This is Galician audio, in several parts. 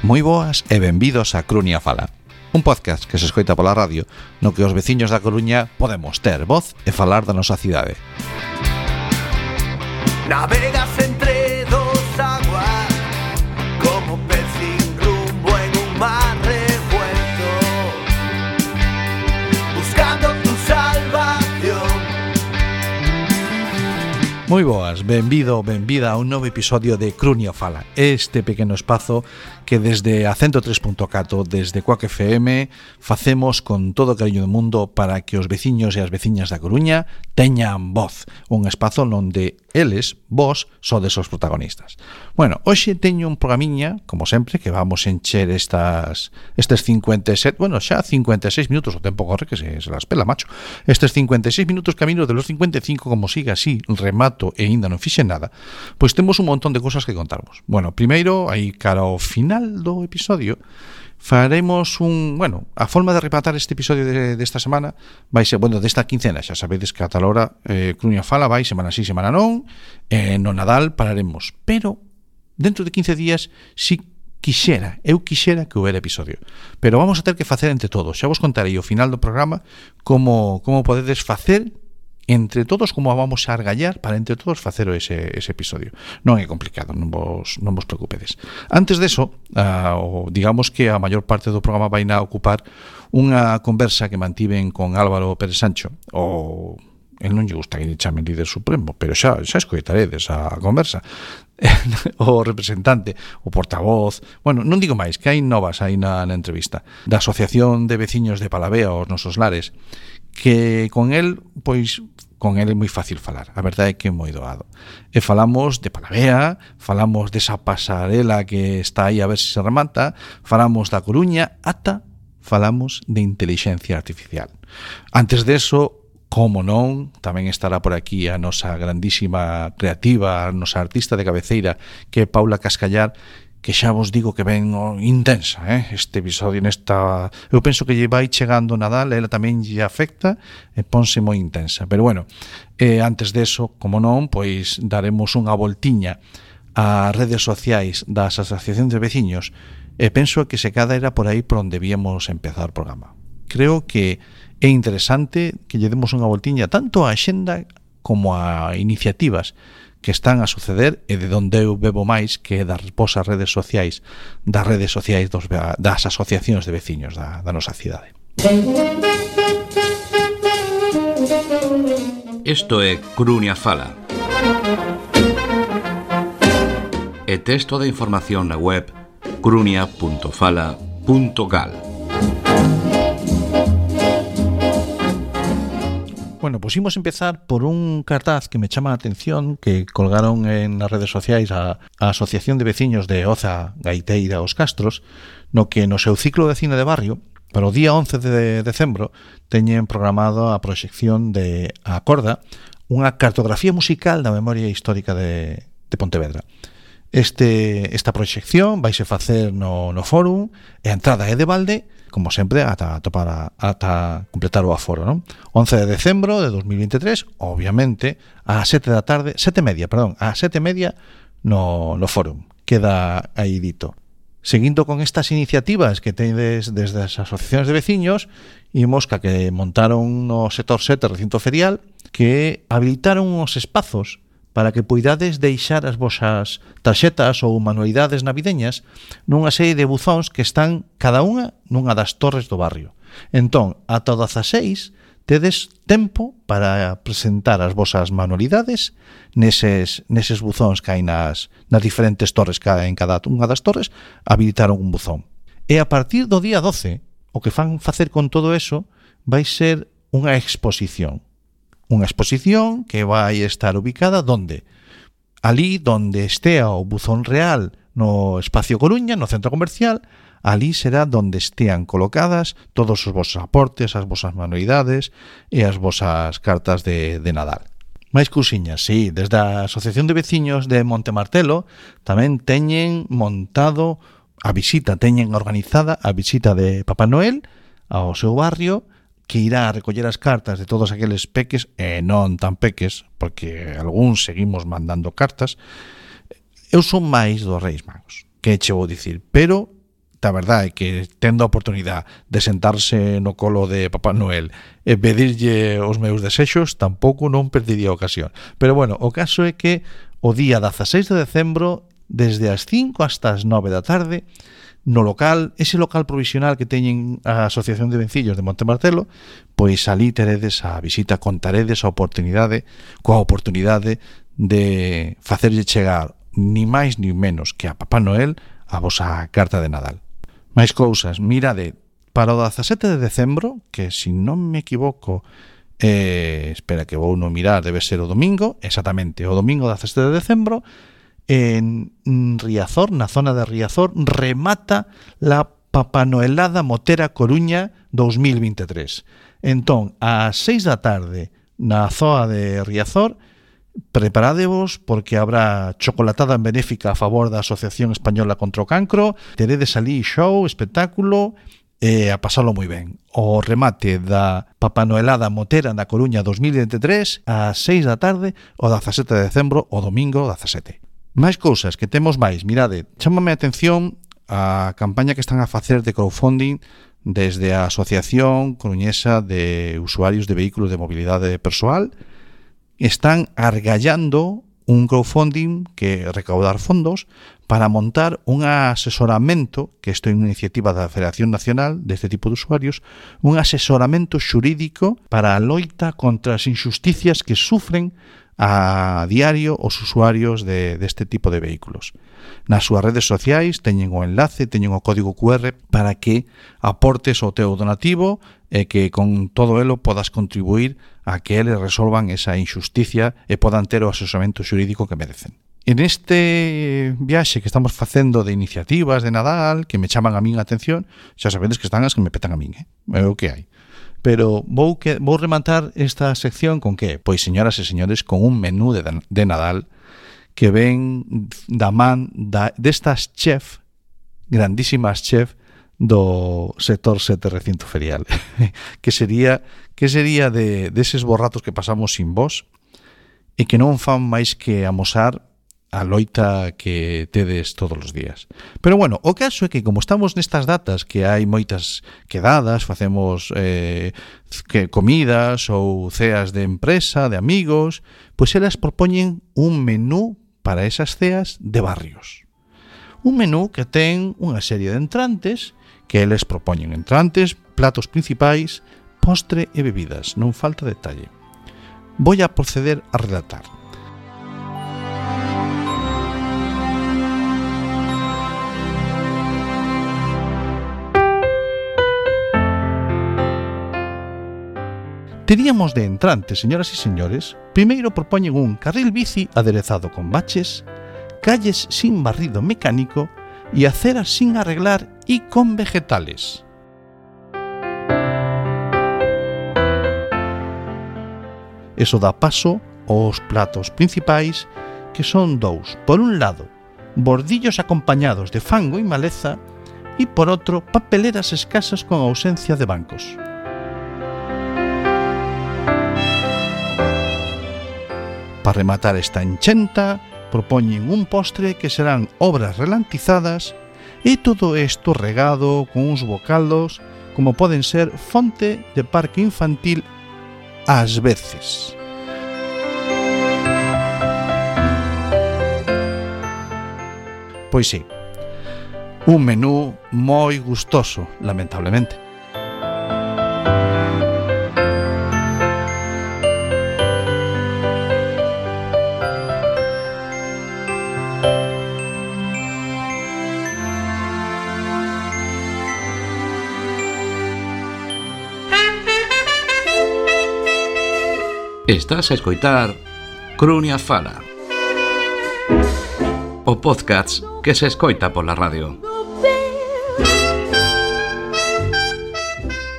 Moi boas e benvidos a Crunia Fala, un podcast que se escoita pola radio no que os veciños da Coruña podemos ter voz e falar da nosa cidade. Navegas entre dos aguas como pez sin rumbo en un mar revuelto, buscando tu salvación. Moi boas, benvida a un novo episodio de Crunia Fala, este pequeno espazo que desde a 103.4, desde Quack FM, facemos con todo o cariño do mundo para que os veciños e as veciñas da Coruña teñan voz, un espazo onde eles, vos, sodes os protagonistas. Bueno, hoxe teño un programiña, como sempre, que vamos encher estes 57, bueno, xa 56 minutos, o tempo corre que se las pela, macho. Estes 56 minutos camino de los 55, como siga así, remato e ainda non fixe nada, pois temos un montón de cosas que contarvos. Bueno, primeiro, aí cara ao final do episodio, faremos a forma de rematar este episodio desta semana vai ser, desta quincena, xa sabedes que a tal hora Crunia Fala vai semana sí, semana non, no Nadal pararemos, pero dentro de 15 días si eu quixera que houbera episodio, pero vamos a ter que facer entre todos. Xa vos contarei ao final do programa como podedes facer entre todos, como vamos a argallar para entre todos facer ese episodio. Non é complicado, non vos preocupedes. Antes deso, digamos que a maior parte do programa vai na ocupar unha conversa que mantiven con Álvaro Pérez Sancho, el non lle gusta que lle chamen líder supremo, pero xa escoitaredes a conversa, o representante, o portavoz, non digo máis, que hai novas aí na entrevista, da Asociación de Veciños de Palavea aos Nosos Lares, que con el é moi fácil falar, a verdade é que é moi doado. E falamos de Palavea, falamos desa pasarela que está aí a ver se remata, falamos da Coruña, ata falamos de intelixencia artificial. Antes deso, como non, tamén estará por aquí a nosa grandísima creativa, a nosa artista de cabeceira, que é Paula Cascallar, que xa vos digo que ven intensa, este episodio nesta... Eu penso que lle vai chegando Nadal, ela tamén lle afecta e ponse moi intensa. Pero antes deso, como non, pois daremos unha voltiña ás redes sociais das asociacións de veciños e penso que se cada era por aí por onde víamos empezar o programa. Creo que é interesante que lle demos unha voltiña tanto á axenda como a iniciativas que están a suceder e de onde eu bebo máis que das vosas redes sociais, das asociacións de veciños da nosa cidade. Isto é Crunia Fala. E texto de información na web crunia.fala.gal. Pois imos empezar por un cartaz que me chama a atención que colgaron nas redes sociais a Asociación de Veciños de Oza, Gaiteira, Os Castros, no que no seu ciclo de cine de barrio, para o día 11 de decembro, teñen programado a proxección de A Corda, unha cartografía musical da memoria histórica de Pontevedra. Esta proxección vaise facer no fórum e a entrada é de balde, como sempre, ata completar o aforo, non? 11 de decembro de 2023, obviamente, a 7:30 no fórum. Queda aí dito. Seguindo con estas iniciativas que tedes desde as asociacións de veciños, imos que montaron no sector 7 recinto ferial, que habilitaron uns espazos para que poidades deixar as vosas tarxetas ou manualidades navideñas nunha serie de buzóns que están cada unha nunha das torres do barrio. Entón, ata 16 tedes tempo para presentar as vosas manualidades neses buzóns que hai nas diferentes torres, en cada unha das torres habilitaron un buzón. E a partir do día 12, o que fan facer con todo eso vai ser unha exposición. Unha exposición que vai estar ubicada donde? Ali donde estea o buzón real no Espacio Coruña, no centro comercial, ali será donde estean colocadas todos os vosos aportes, as vosas manualidades e as vosas cartas de Nadal. Máis cousiñas, sí, desde a Asociación de Veciños de Montemartelo tamén teñen montado teñen organizada a visita de Papá Noel ao seu barrio, que irá a recoller as cartas de todos aqueles peques e non tan peques, porque algúns seguimos mandando cartas. Eu son máis dos Reis Magos, que che vou dicir, pero a verdade é que tendo a oportunidade de sentarse no colo de Papá Noel e pedirlle os meus desexos, tampouco non perdería a ocasión. Pero bueno, o caso é que o día 16 de decembro, desde as 5 hasta as 9 da tarde, no local, ese local provisional que teñen a Asociación de Vencillos de Montemartelo, pois ali teredes a visita, contaredes a oportunidade, coa oportunidade de facerlle chegar ni máis ni menos que a Papá Noel a vosa carta de Nadal. Máis cousas, mirade, para o 17 de decembro, que se non me equivoco, espera que vou non mirar, debe ser o domingo, exactamente, o domingo 17 de decembro, en Riazor, na zona de Riazor, remata la Papanoelada Motera Coruña 2023. Entón, ás 6 da tarde na zoa de Riazor, preparadevos porque habrá chocolatada benéfica a favor da Asociación Española contra o Cancro, teredes ali show, espectáculo e a pasalo moi ben. O remate da Papanoelada Motera na Coruña 2023 ás 6 da tarde o 17 de decembro, o domingo 17. Máis cousas que temos máis, mirade, chámame a atención a campaña que están a facer de crowdfunding desde a Asociación Coruñesa de Usuarios de Vehículos de Mobilidade Persoal. Están argallando un crowdfunding que recaudar fondos para montar un asesoramento, que isto é unha iniciativa da Federación Nacional deste tipo de usuarios, un asesoramento xurídico para a loita contra as injusticias que sufren a diario os usuarios deste tipo de vehículos. Nas súas redes sociais teñen o enlace, teñen o código QR para que aportes o teu donativo e que con todo elo podas contribuir a que eles resolvan esa injusticia e podan ter o asesoramento xurídico que merecen. En este viaxe que estamos facendo de iniciativas de Nadal que me chaman a min a atención, xa sabedes que están as que me petan a min, é o que hai. Pero vou rematar esta sección con que? Pois, señoras e señores, con un menú de Nadal que ven da man destas chef, grandísimas chef do sector 7 recinto ferial. que sería deses borratos que pasamos sin vos e que non fan máis que amosar a loita que tedes todos os días. Pero bueno, o caso é que como estamos nestas datas que hai moitas quedadas, facemos comidas ou ceas de empresa, de amigos, pois elas propoñen un menú para esas ceas de barrios. Un menú que ten unha serie de entrantes que eles propoñen entrantes, platos principais, postre e bebidas, non falta detalle. Voy a proceder a relatar. Teríamos de entrantes, señoras e señores, primeiro propoñen un carril bici aderezado con baches, calles sin barrido mecánico e aceras sin arreglar e con vegetales. Eso dá paso aos platos principais, que son dous. Por un lado, bordillos acompañados de fango e maleza, e por outro, papeleras escasas con ausencia de bancos. Para rematar esta enchenta, propoñen un postre que serán obras relantizadas e todo isto regado con uns bocados como poden ser fonte de parque infantil ás veces. Pois sí, un menú moi gustoso, lamentablemente. Estás a escoitar Crunia Fala, o podcast que se escoita pola radio.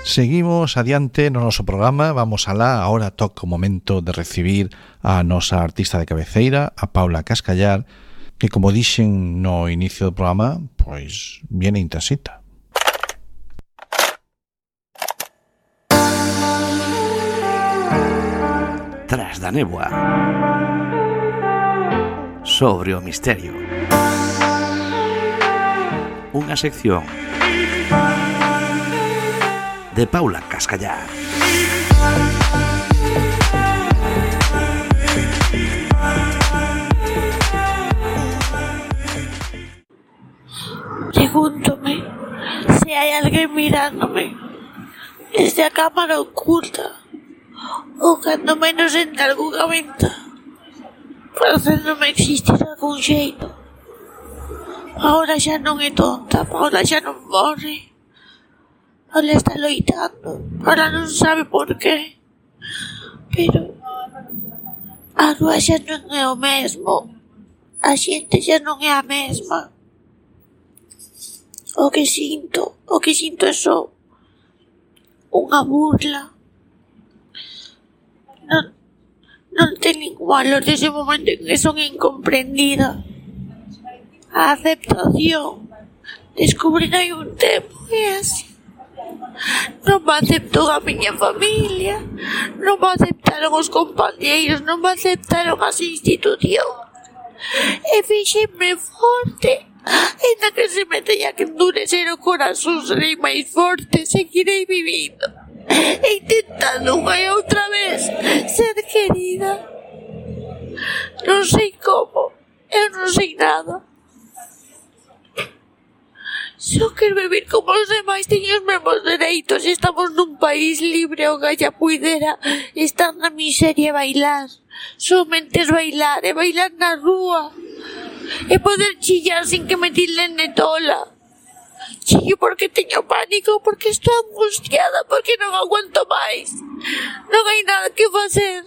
Seguimos adiante no noso programa, vamos alá, ahora toca o momento de recibir a nosa artista de cabeceira, a Paula Cascallar, que como dixen no inicio do programa, pois viene intensita. Tras da néboa, sobre o misterio. Unha sección de Paula Cascallar. Pregúntome si hay alguien mirándome desde a cámara oculta ou cando menos entre algunha venta facéndome existir algún xeito. Ahora xa non é tonta, Paula xa non morre. Paula está loitando, Paula non sabe por qué, pero a rúa xa non é o mesmo, a xente xa non é a mesma. O que sinto é só unha burla. Non ten ningún valor desde o momento en que son incomprendida. A aceptación descubrir hai un tempo e así. Non me aceptou a miña familia, non me aceptaron os compañeiros, non me aceptaron as institucións. E fixenme forte. Ainda que se me teña que endurecer o corazón, serei máis forte, seguirei vivindo e intentando unha e outra vez ser querida. Non sei como, eu non sei nada. Só quero vivir como os demais, teño os mesmos dereitos. Estamos nun país libre onde ella puidera estar na miseria e bailar. Somente es bailar e bailar na rúa e poder chillar sin que me tilden de tola. Chillo porque teño pánico, porque estou angustiada, porque non aguanto máis. Non hai nada que facer.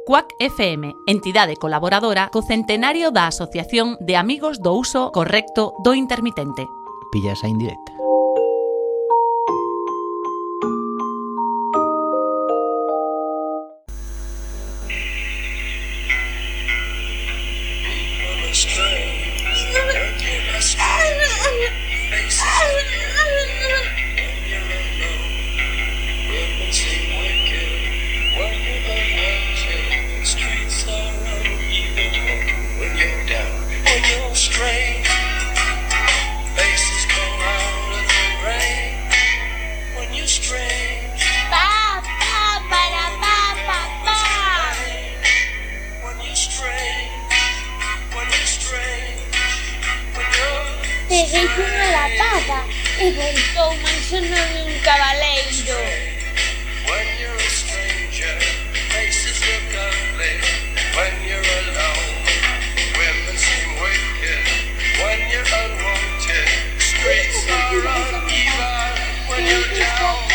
Quack FM, entidade colaboradora co centenario da Asociación de Amigos do Uso Correcto do Intermitente. Pilla esa indirecta. Peguei unha lapada e voltou máis sono un cabaleiro. When you're a stranger, faces look ugly. When you're alone, women seem wicked. When you're unwanted, streets are uneven. When you're down,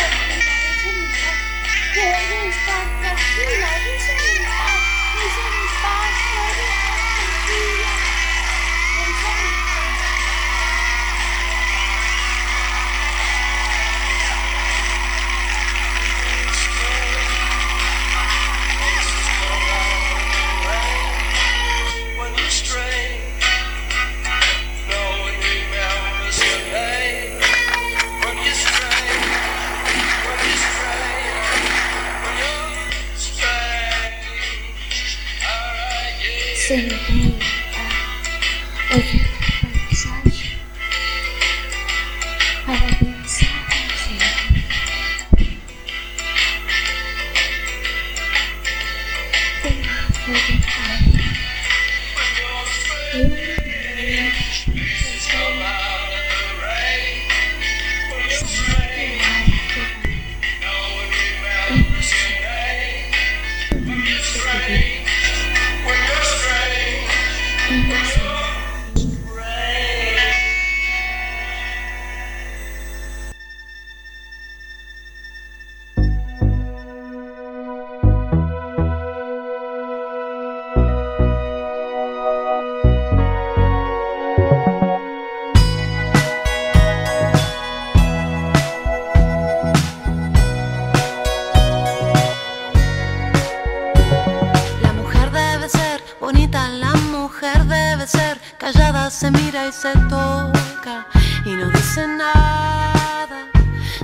se mira y se toca y no dice nada.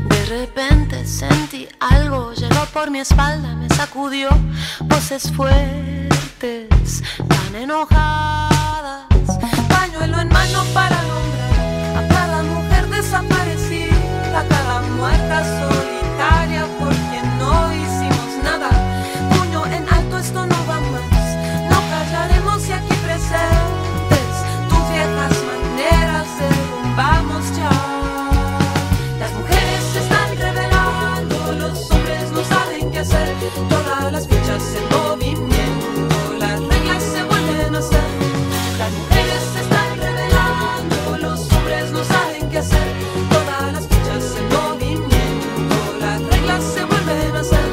De repente sentí algo, llegó por mi espalda, me sacudió, voces fuertes, tan enojadas. Paño pañuelo en mano para nombrar a cada mujer desaparecida, a cada muerta solitaria por quien no hicimos nada. Puño en alto, esto no va más, no callaremos y aquí presentes tus viejas maneras derrumbamos ya. Las mujeres se están revelando, los hombres no saben qué hacer, todas las fichas en movimiento, las reglas se vuelven a hacer. Las mujeres se están revelando, los hombres no saben qué hacer, todas las fichas en movimiento, las reglas se vuelven a hacer.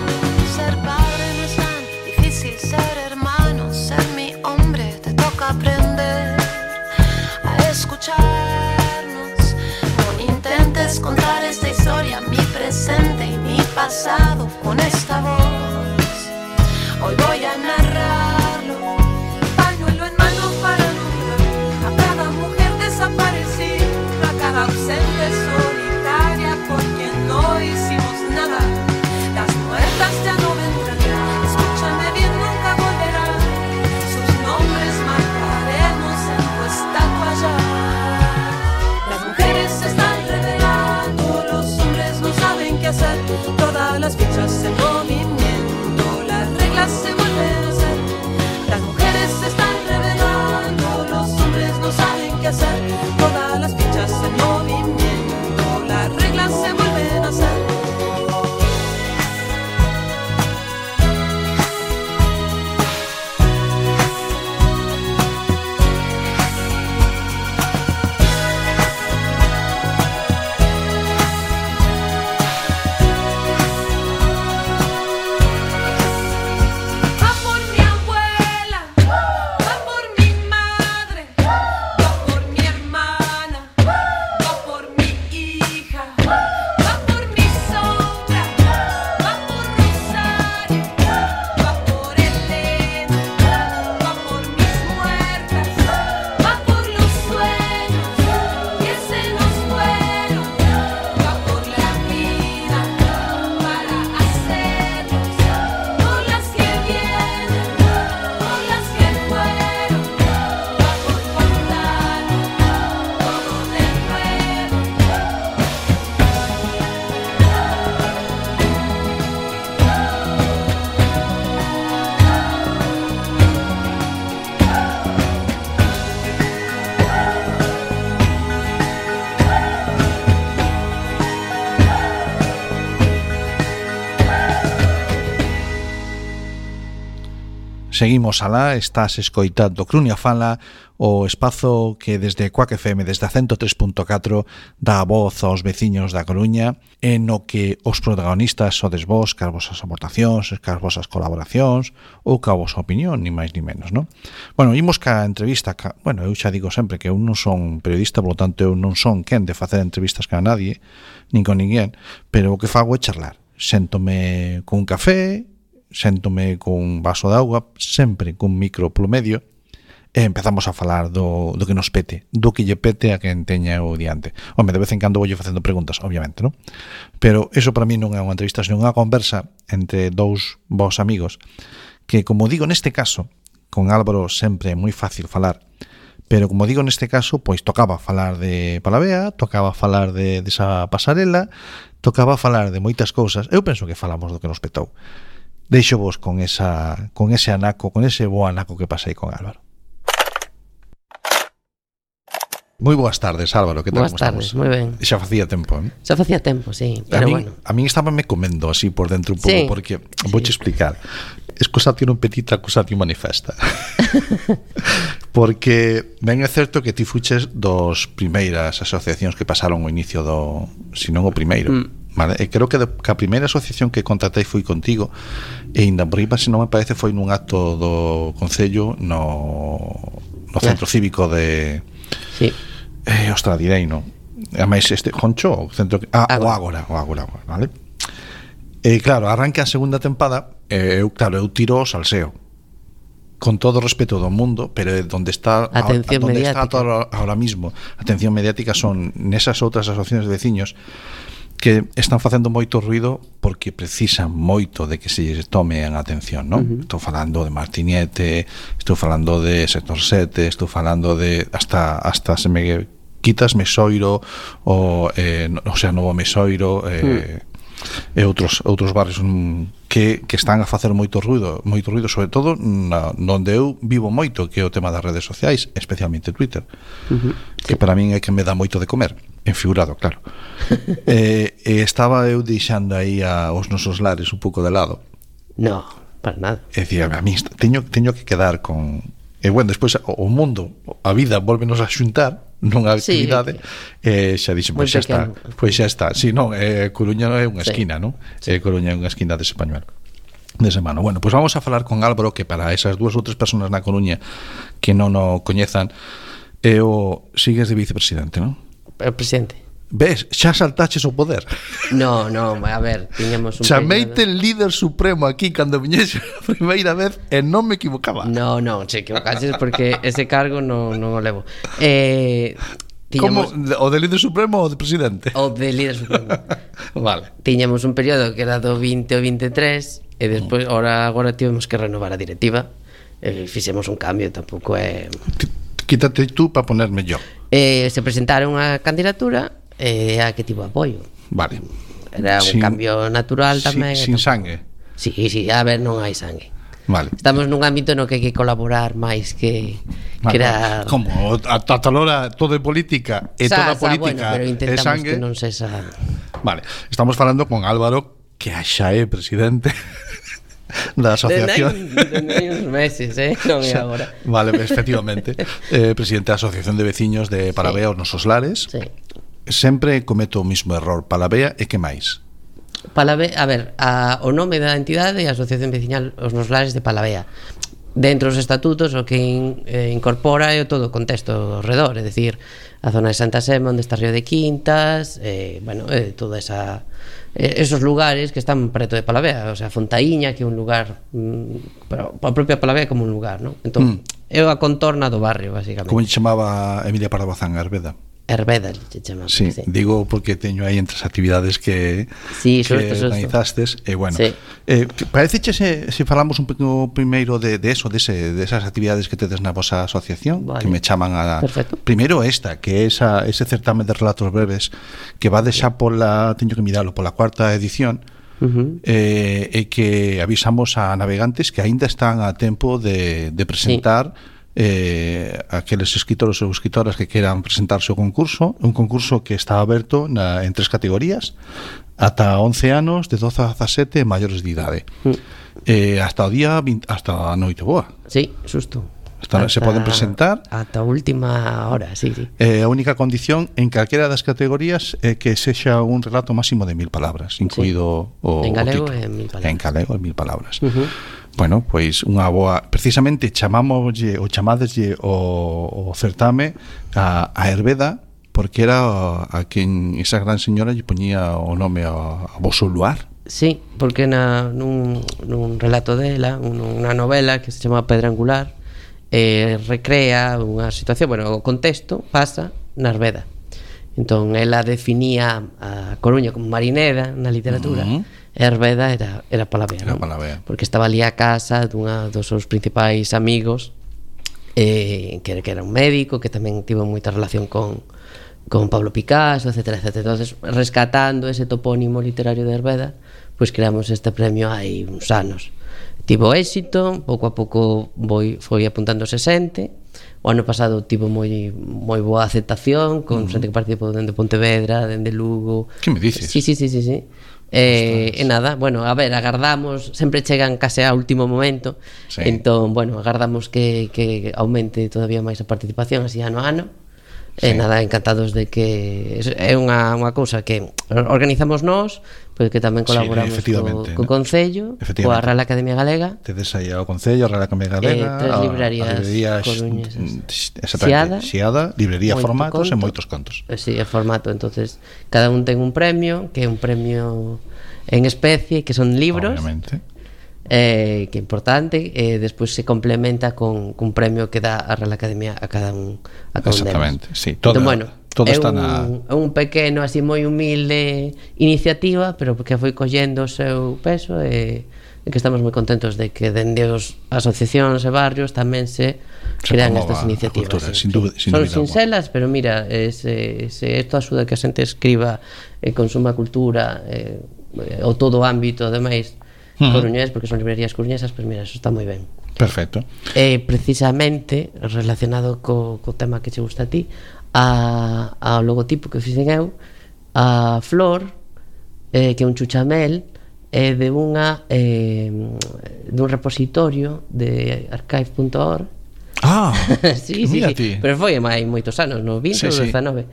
Ser padre no es tan difícil, ser hermano, ser mi hombre, te toca aprender a escucharnos. No intentes contar esta historia, mi presente y mi pasado con esta voz. Hoy voy a narrarlo, pañuelo en mano para nombrar a cada mujer desaparecida, a cada ausente solitaria por quien no hicimos nada. Las muertas ya no vendrán, escúchame bien, nunca volverán. Sus nombres marcaremos en tu estatua ya. Las mujeres se están revelando, los hombres no saben qué hacer, todas las fichas en movimiento, las reglas se vuelven a hacer. Las mujeres se están revelando, los hombres no saben qué hacer, todas las fichas en movimiento, las reglas se vuelven a hacer. Va por mi abuela, va por mi madre, va por mi hermana, va por mi hija, va por mi sombra, va por Rosario, va por Elena, va por mis muertas, va por los sueños que se nos fueron, va por la vida para hacernos, por las que vienen, por las que fueron, va por contar todo de nuevo. Seguimos alá, estás escoitando Crunia Fala, o espazo que desde Quack FM, desde a 103.4, dá a voz aos veciños da Coruña, en o que os protagonistas sodes vos, cas vosas aportacións, cas vosas colaboracións, ou ca vosa opinión, ni máis ni menos, non? Bueno, imos ca entrevista, bueno, eu xa digo sempre que eu non son periodista, polo tanto eu non son quen de facer entrevistas ca nadie, nin con ninguén, pero o que fago é charlar. Séntome con un café, séntome con un vaso de auga, sempre cun micro polo medio, e empezamos a falar do que nos pete, do que lle pete a quen teña o diante. Home, de vez en cando vou facendo preguntas, obviamente, non? Pero eso para mí non é unha entrevista, senón unha conversa entre dous vos amigos, que, como digo neste caso, con Álvaro sempre é moi fácil falar, pero como digo neste caso, pois tocaba falar de Palavea, tocaba falar de esa pasarela, tocaba falar de moitas cousas. Eu penso que falamos do que nos petou. Deixo vos con ese anaco, con ese bo anaco que pasei con Álvaro. Moi boas tardes, Álvaro, que tal? Boas tardes, moi ben. Xa facía tempo, eh? Xa facía tempo, sí, pero bueno. A min estábame comendo así por dentro un pouco, sí, porque vouche explicar. Excusatio non petita, accusatio manifesta. Porque ben é certo que ti fuches dos primeiras asociacións que pasaron o inicio do, se non o primeiro, vale? E creo que a primeira asociación que contratei foi contigo, e ainda por riba, se non me parece, foi nun acto do Concello no Centro Cívico de... Sí. Ostra, direi, non? Ademais, Joncho, o centro... o Ágora, vale? E claro, arranca a segunda tempada, eu tiro o salseo, con todo o respeto do mundo, pero onde está ahora mismo a atención mediática son nesas outras asociacións de veciños que están facendo moito ruido porque precisan moito de que se lles tome en atención, non? Estou falando de Martiniete, estou falando de Sector 7, estou falando de hasta se me quitas Mesoiro o sea, Novo Mesoiro e outros barrios que están a facer moito ruido, sobre todo onde eu vivo moito, que é o tema das redes sociais, especialmente Twitter, que para min é que me dá moito de comer, en figurado, claro. Estaba eu deixando aí aos nosos lares un pouco de lado. No, para nada. É dicir, a mí teño que quedar con... E bueno, despois o mundo, a vida, volvenos a xuntar nunha actividade, xa dixen, pois xa está. Si, non, Coruña é unha esquina, non? Coruña é unha esquina dese pañuelo. De semana. Bueno, pois vamos a falar con Álvaro, que para esas 2 ou 3 personas na Coruña que non o coñezan, sigues de vicepresidente, non? El presidente. Ves, xa saltaches o poder. No, a ver, tiñamos un chameite el líder supremo aquí cando viñese a primeira vez e non me equivocaba. No, se equivocaches porque ese cargo non o levo. Como, o de líder supremo ou de presidente? O de líder supremo. Vale. Tiñamos un período que era do 20 ao 23 e despois agora tivemos que renovar a directiva e fixemos un cambio, tampouco é... Quítate tú para ponerme yo. Se presentaron a candidatura e a que tivo apoio. Vale. Era un cambio natural tamén. Sin sangue. Sí, a ver, non hai sangue. Vale. Estamos nun ámbito no que hai que colaborar máis que crear. Como ata ahora todo é política e toda política pero intentamos é sangue. Que non sexa. Vale, estamos falando con Álvaro, que xa é presidente da asociación. Dende uns meses, non é agora. Vale, efectivamente. Presidente da Asociación de Veciños de Palavea, os nosos lares. Sí. Sempre cometo o mismo error. Palavea e que máis? Palavea, a ver, o nome da entidade é a Asociación Veciñal Os Nos Lares de Palavea. Dentro dos estatutos o que incorpora é todo o contexto ao redor, é dicir, a zona de Santa Sema, onde está Río de Quintas, toda esos lugares que están preto de Palavea, o sea, Fontaíña, que é un lugar, pero a propia Palavea como un lugar, non? Entón, é a contorna do barrio, basicamente. Como chamaba Emilia Pardo Bazán, Herbeda? Herbeda, se chama. Sí, digo porque teño aí entre as actividades que organizastes e bueno, parece se falamos un pouco primeiro de esas actividades que tedes na vosa asociación, que me chaman a... Perfecto. Primeiro esta, que é ese certame de relatos breves que va deixar teño que miralo, pola 4ª edición, e que avisamos a navegantes que aínda están a tempo de presentar aqueles escritores ou escritoras que queran presentarse ao concurso, un concurso que está aberto en 3 categorías, ata 11 anos, de 12 a 17 maiores de idade, hasta o día 20, hasta a noite boa. Sí, xusto. Se poden presentar ata a última hora, sí. A única condición en calquera das categorías é que sexa un relato máximo de 1000 palabras, incluído o galego título. En 1000 palabras. En galego en 1000 palabras. Bueno, pois unha boa, precisamente chamámoslle ou chamadeslle o certame a Herbeda, porque era a quen esa gran señora lle poñía o nome a voso luar. Sí, porque nun relato dela, unha novela que se chama Pedra Angular, recrea unha situación, o contexto pasa na Herbeda. Entón, ela definía a Coruña como marineda na literatura. Herbeda era Palavea, non? Porque estaba ali a casa dos seus principais amigos, que era un médico, que tamén tivo moita relación con Pablo Picasso, etcétera. Entonces, rescatando ese topónimo literario de Herbeda, pois creamos este premio hai uns anos. Tivo éxito, pouco a pouco foi apuntándose xente. O ano pasado tivo moi boa aceptación, con xente que participou dende Pontevedra, dende Lugo. Que me dices? Sí. E nada, a ver, agardamos, sempre chegan case ao último momento, entón, agardamos que aumente todavía máis a participación así ano a ano. Nada, encantados de que é unha cousa que organizamos nós, pero que tamén colaboramos co Concello, coa Real Academia Galega. Tedes aí ao Concello, a Real Academia Galega, 3 librerías coruñesas, Xiada, librería Formatos e moitos contos. Sí, é Formato, entonces cada un ten un premio, que é un premio en especie, que son libros. Obviamente. Que é importante, despois se complementa con un premio que dá a Real Academia a cada un deles. Exactamente, sí. Entón, Todo é está na... un pequeno, así moi humilde iniciativa, pero que foi collendo o seu peso e que estamos moi contentos de que dende os asociacións e barrios tamén se crean estas iniciativas. Cultura, sí. sin Son dúbida sincelas, pero mira, se isto axuda que a xente escriba e consuma cultura o todo o ámbito, ademais, coruñés, porque son librerías coruñesas, pois mira, eso está moi ben. Perfecto. Precisamente relacionado co tema que che gusta a ti, ao logotipo que fixen eu, a flor, que é un chuchamel, é de dun repositorio de archive.org. Sí, pero foi hai moitos anos, no 20 ou 19.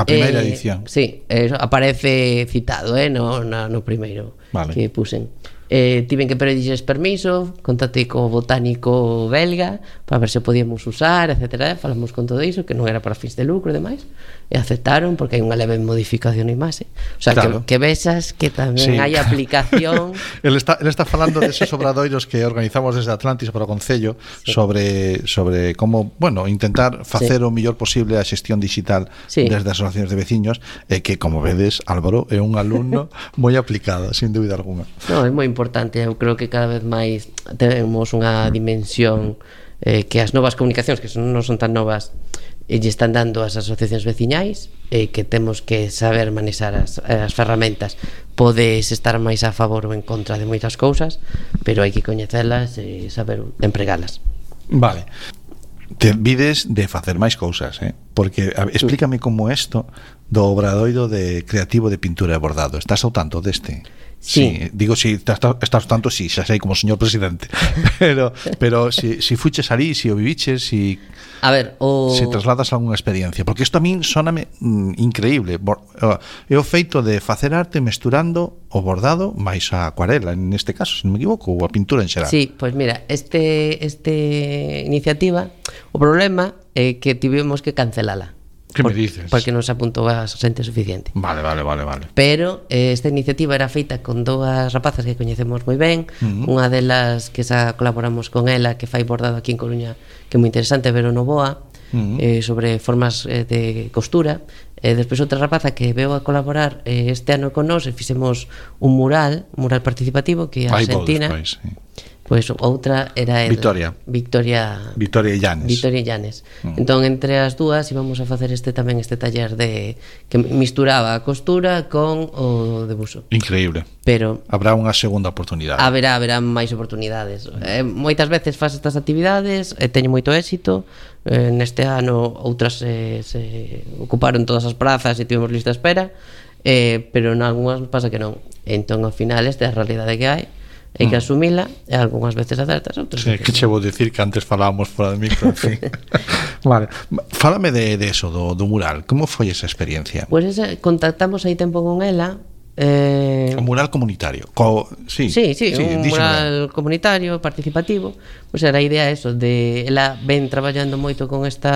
A primeira edición. Sí, aparece citado no primeiro que pusen. Tiven que pedirlles permiso, contactei co botánico belga para ver se podíamos usar, etcétera. Falamos con todo iso, que non era para fins de lucro e demais, e aceptaron porque hai unha leve modificación na imaxe. O sea, claro, que vexas que tamén hai aplicación. Él está falando deses obradoiros que organizamos desde Atlantis para o Concello, sobre como, bueno, intentar facer o mellor posible a xestión digital desde as asociacións de veciños, e que, como vedes, Álvaro é un alumno moi aplicado, sin dúbida alguna. Non, é moi importante. Eu creo que cada vez máis temos unha dimensión que as novas comunicacións, que non son tan novas, lle están dando as asociacións veciñais, que temos que saber manexar as ferramentas. Podes estar máis a favor ou en contra de moitas cousas, pero hai que coñecelas e saber empregalas. Vale. Te vides de facer máis cousas, porque explícame como isto do obradoiro de creativo de pintura e bordado. Estás ao tanto deste? Sí, digo, si estás tanto, si xa sei como señor presidente. pero si fuches ali, si o viviches, si a ver, se trasladas a algunha experiencia, porque isto a min soname increíble. É o feito de facer arte mesturando o bordado máis a acuarela, neste caso, se non me equivoco, ou a pintura en xeral. Sí, pois mira, este iniciativa, o problema é que tivemos que cancelala. Que me dices? Porque non se apuntou a xente suficiente. Vale. Pero esta iniciativa era feita con dúas rapazas que coñecemos moi ben. Unha delas que xa colaboramos con ela, que fai bordado aquí en Coruña, que é moi interesante, Vero Novoa, sobre formas de costura. Despois outra rapaza que veu a colaborar este ano con nós, e fixemos un mural participativo, que é a Argentina. Pois outra era Victoria Llanes. Entón, entre as dúas íbamos a facer este taller de que misturaba a costura con o debuxo. Increíble. Pero habrá unha segunda oportunidade. Haberá máis oportunidades. Moitas veces faz estas actividades e teño moito éxito. Neste ano outras se ocuparon todas as prazas e tivemos lista de espera, pero nalgúnas pasa que non. Entón, ao final, esta é a realidade que hai. Hai que asumila, e algunhas veces acertas, outras veces. Que che vou dicir que antes falábamos fora de micro, en fin. Vale, fálame de eso, do mural. Como foi esa experiencia? Pois contactamos hai tempo con ela. Un mural comunitario. Sí, un mural comunitario, participativo. Pois era a idea eso, de ela ven traballando moito con este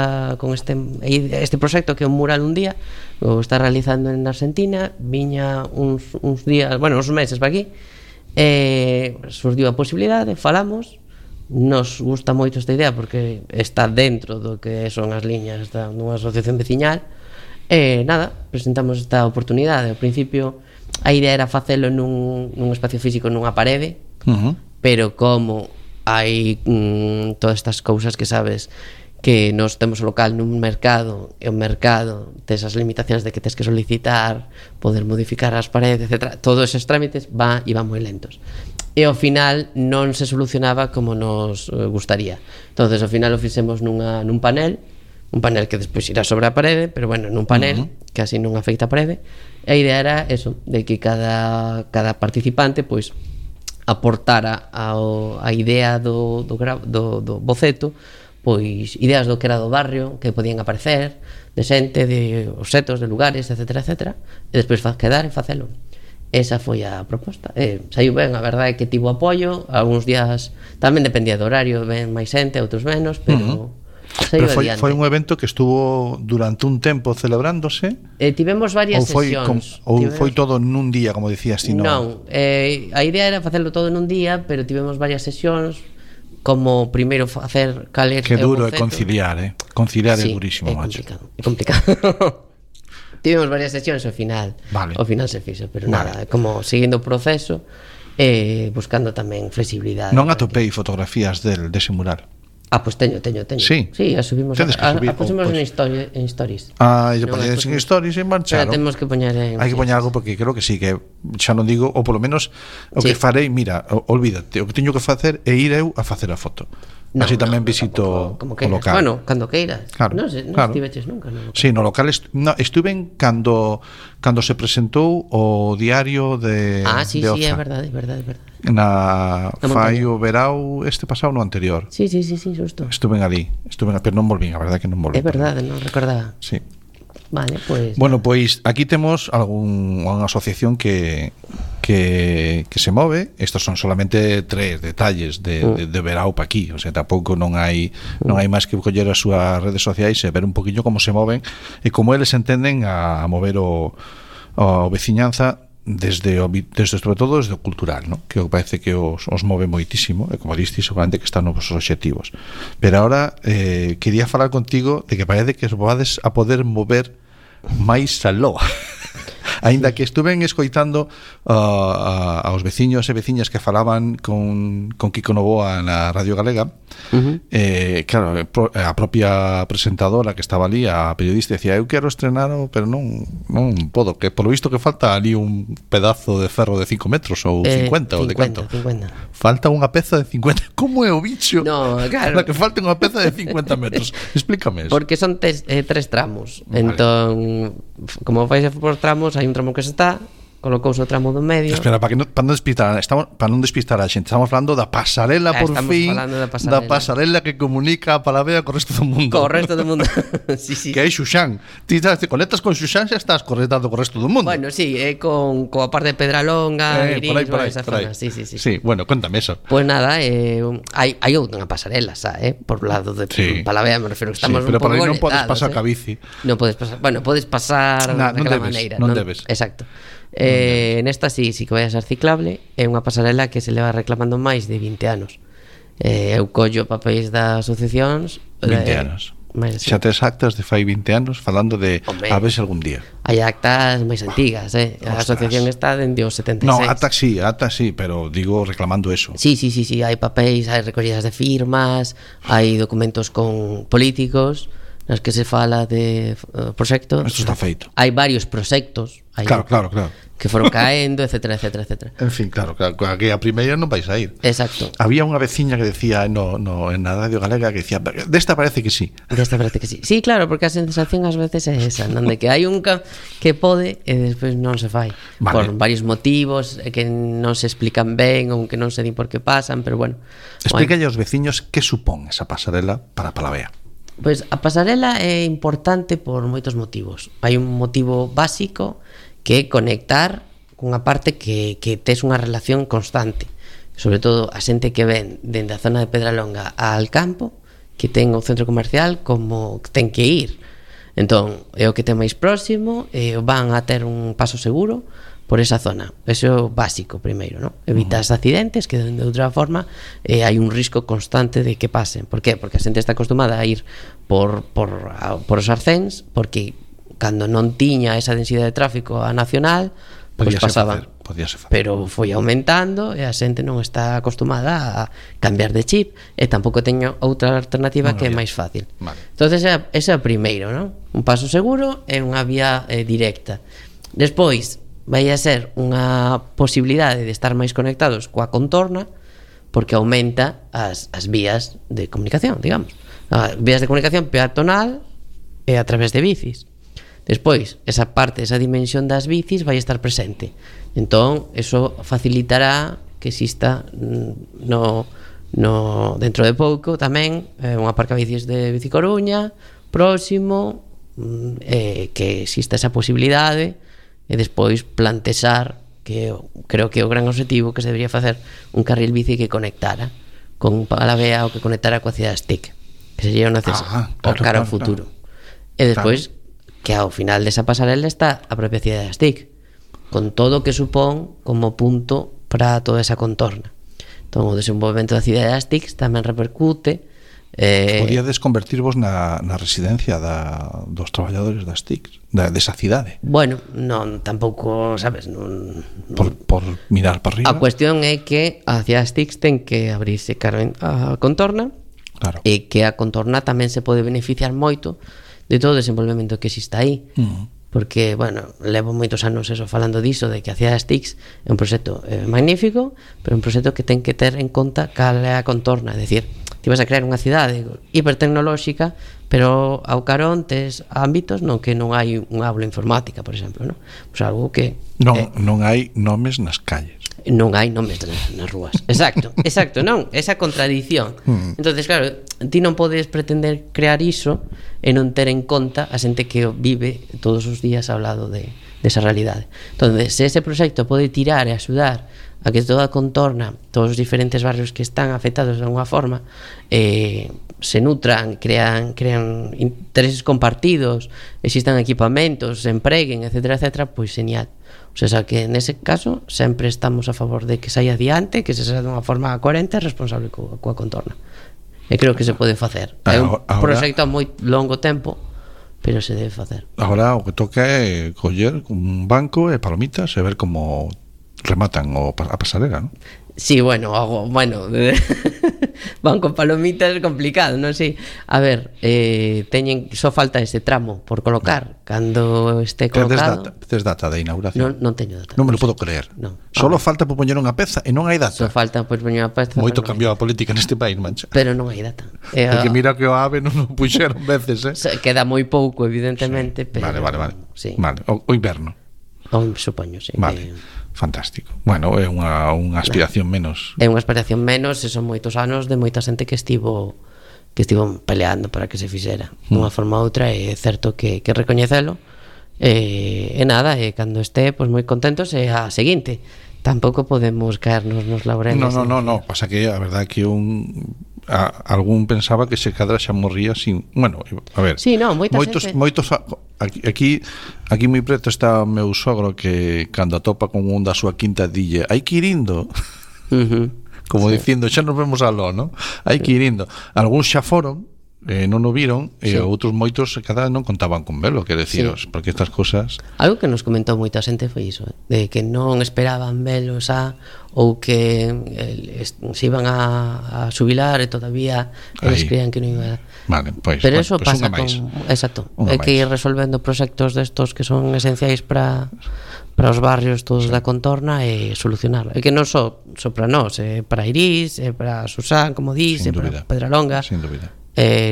proxecto que é un mural un día, o está realizando en Argentina, viña uns días, bueno, uns meses para aquí. Surdiu a posibilidade, falamos, nos gusta moito esta idea porque está dentro do que son as liñas dunha asociación veciñal, e nada, presentamos esta oportunidade. Ao principio a idea era facelo nun espacio físico, nunha parede, pero como hai todas estas cousas que sabes, que nos temos o local nun mercado, e o mercado tes as limitacións de que tes que solicitar, poder modificar as paredes, etc. Todos esos trámites van moi lentos, e ao final non se solucionaba como nos gustaría. Entonces ao final o fixemos nun panel que despois irá sobre a parede, pero bueno, nun panel que así non afecta a parede. E a idea era eso, de que cada participante pois aportara a idea do boceto, pois ideas do que era do barrio, que podían aparecer, de xente, de obxetos, de lugares, etcétera, etcétera, e despois quedar e facelo. Esa foi a proposta. Saiu ben, a verdade é que tivo apoio. Algúns días tamén dependía do horario, ben máis xente, outros menos, pero pero foi un evento que estuvo durante un tempo celebrándose. Tivemos varias sesións. Ou foi todo nun día, como dicías ti? Non, a idea era facelo todo nun día, pero tivemos varias sesións, como primeiro facer cal é que duro é conciliar, conciliar é durísimo, macho. É complicado. Tivemos varias sesións ao final. Vale. Ao final se fixo, pero Vale. nada, como seguindo o proceso, buscando tamén flexibilidade. Non atopei fotografías dese mural. Pois teño. Sí. Sí, a subimos. Tedes que subir, pusimos pois. en stories. E Non, poñedes en pusimos- stories e marcharon. Pero temos que poñer en... Hai que poñer algo porque creo que sí, que xa non digo, ou polo menos o que Sí. farei, mira, olvídate, o que teño que facer é ir eu a facer a foto. Así tamén visito como o queiras. local. Bueno, cando queiras. Claro, Non claro. estiveches nunca, non? Sí, no local estuve cando se presentou o diario de Sí, de é Oza. verdade. Na Na fai montaña. o verao este pasado no anterior. Sí, xusto. Estuve ali, pero non volvín, a verdade que non volvín. É verdade, non recordaba. Sí. Vale, pois... Bueno, pois aquí temos unha asociación que se move. Estos son solamente 3 detalles de verao pa aquí, o sea, tampouco non hai máis que coller as súas redes sociais e ver un poquinho como se moven e como eles entenden a mover o veciñanza desde sobre todo desde o cultural, ¿no? Que parece que os move moitísimo e como diste, seguramente que están nos vosos obxectivos. Pero ahora quería falar contigo de que parece que os vades a poder mover máis aló. Aínda que estuven escoitando aos veciños e veciñas que falaban con Kiko Novoa na Radio Galega. Claro, a propia presentadora que estaba ali, a periodista, decía: eu quero estrenar, pero non podo, que polo visto que falta ali un pedazo de ferro de 5 metros ou 50 ou de canto. 50. Falta unha peza de 50. Como é o bicho? No, claro. Para que falte unha peza de 50 metros. Explícame eso. Porque son 3 tramos. Vale. Entón, como vais por tramos, hai un tramo que se está, colocouse o tramo do medio. Espera, para non despistar a xente, estamos falando da pasarela, por Estamos fin, falando da da pasarela que comunica a Palavea co resto do mundo. Co resto do mundo. Sí. Que é Xuxán. Ti te conectas con Xuxán, xa estás conectado co resto do mundo. Bueno, sí, coa parte de Pedralonga, Irís, por aí, esa por aí. zona. Sí. Sí, bueno, cuéntame eso. Pues nada, hai outra pasarela, por lado de Sí. Palavea, me refiro que estamos Sí, pero un pouco por aí non podes conectados, pasar ca bici. Non podes pasar, bueno, podes pasar Non daquela debes, maneira, non debes. Exacto. Nesta sí que vai a ser ciclable, é unha pasarela que se leva reclamando máis de 20 anos. Eu collo papéis das asociacións 20 anos. Xa tes actas de fai 20 anos falando de Hombre, a ver se algún día. hai actas máis antigas, A Ostras. asociación está dende os 76. No, actas sí, pero digo reclamando eso. Sí, hai papéis, hai recollidas de firmas, hai documentos con políticos nas que se fala de proxectos. Isto está feito. Hai varios proxectos, Claro. que foron caendo, etcétera. En fin, claro, que a primeira non vais a ir. Exacto. Había unha veciña que decía en na Radio Galega que decía: desta parece que sí. Desta parece que sí. Sí, claro, porque a sensación ás veces é esa, non de que hai un que pode e despois non se fai. Vale. Por varios motivos que non se explican ben ou que non se din por que pasan, pero bueno. Explícalle aos veciños que supón esa pasarela para Palavea. Pois a pasarela é importante por moitos motivos. Hai un motivo básico que é conectar cunha parte que tes unha relación constante, sobre todo a xente que ven dende a zona de Pedralonga al campo, que ten o centro comercial como ten que ir. Entón, é o que ten máis próximo, van a ter un paso seguro por esa zona. Eso é o básico primeiro, ¿no? Evitas accidentes que de outra forma hai un risco constante de que pasen. Por qué? Porque a xente está acostumada a ir por os arcéns, porque cando non tiña esa densidade de tráfico a nacional, pois pasaban. Podíase facer. Pero foi aumentando e a xente non está acostumada a cambiar de chip e tampouco teño outra alternativa que é máis fácil. Vale. Entonces ese é o primeiro, ¿no? Un paso seguro e unha vía directa. Despois vai a ser unha posibilidade de estar máis conectados coa contorna, porque aumenta as vías de comunicación, digamos. As vías de comunicación peatonal e a través de bicis. Despois, esa parte, esa dimensión das bicis vai estar presente. Entón, eso facilitará que exista dentro de pouco tamén un aparcabicis de Bici Coruña próximo, que exista esa posibilidade e despois plantexar, que creo que é o gran objetivo, que se debería facer un carril bici que conectara con Palavea ou que conectara coa cidade de Stick, que sería o cara ao futuro. E despois que ao final desa pasarela está a propia cidade de Stick, con todo o que supón como punto para toda esa contorna. Entón, o desenvolvemento da cidade de Stick tamén repercute Podíades convertirvos na residencia dos traballadores das TICs, desa cidade. Bueno, non, tampouco, sabes, non por mirar para arriba. A cuestión é que a cidade das TICs ten que abrirse cara a contorna, claro. E que a contorna tamén se pode beneficiar moito de todo o desenvolvemento que existe aí. Porque, bueno, levo moitos anos eso falando diso, de que a cidade das TICs é un proxecto magnífico, pero un proxecto que ten que ter en conta cal é a contorna, é dicir, ti vas a crear unha cidade hipertecnolóxica, pero ao carón tes ámbitos no que non hai un aula informática, por exemplo, non? Pois algo que non hai nomes nas calles. Non hai nomes nas rúas. Exacto, non, esa contradición. Entonces, claro, ti non podes pretender crear iso e non ter en conta a xente que vive todos os días ao lado desa realidade. Entonces, se ese proxecto pode tirar e axudar a que toda a contorna, todos os diferentes barrios que están afectados de alguna forma, se nutran, crean intereses compartidos, existan equipamentos, se empreguen, etcétera, etcétera, pois genial. O sea, que nese caso sempre estamos a favor de que saia adiante, que se saia de unha forma coherente e responsable coa contorna. E creo que se pode facer. É un proxecto a moi longo tempo, pero se debe facer. Agora o que toca é coller un banco e palomitas e ver como rematan a pasarela, non? Sí, bueno, banco palomitas é complicado, non sei. A ver, teñen só falta ese tramo por colocar. Cando este colocado... Tes data de inauguración? Non teño data. Non me lo podo creer. Solo falta por poñer unha peza e non hai data. Só falta por poñer unha peza. Moito cambiou a política neste país, mancha. Pero non hai data. Porque mira que o AVE non o puxeron veces, Queda moi pouco, evidentemente, sí. pero... Vale. Sí. Vale, o inverno. Supoño, sí. Vale. Fantástico. Bueno, é unha aspiración menos. É unha aspiración menos, e son moitos anos de moita xente que estivo peleando para que se fixera dunha forma ou outra, e é certo que recoñecelo. E nada, e cando este, pois moi contentos, e a seguinte. Tampouco podemos caernos nos laureles. No, pasa que a verdade que algún pensaba que se cadra xa morría sin, bueno, a ver. Sí, no, moitos aquí moi preto está o meu sogro que cando atopa con un da súa quinta dille, hai que ir indo. Como dicindo, xa nos vemos aló, non? Hai que ir indo. Algúns xa foron, non o viron, e outros moitos cada non contaban con velo, que deciros, porque estas cosas... Algo que nos comentou moita xente foi iso, de que non esperaban velo ou que se iban a xubilar e todavía eles creían que non iba a... Vale, pois, pero eso pasa con... Exacto. Hai que ir resolvendo proxectos destos que son esenciais para os barrios todos da contorna e solucionarlo. É que non só para nós, para Irís, para Susán, como dís, para Pedralonga. Sin dúbida.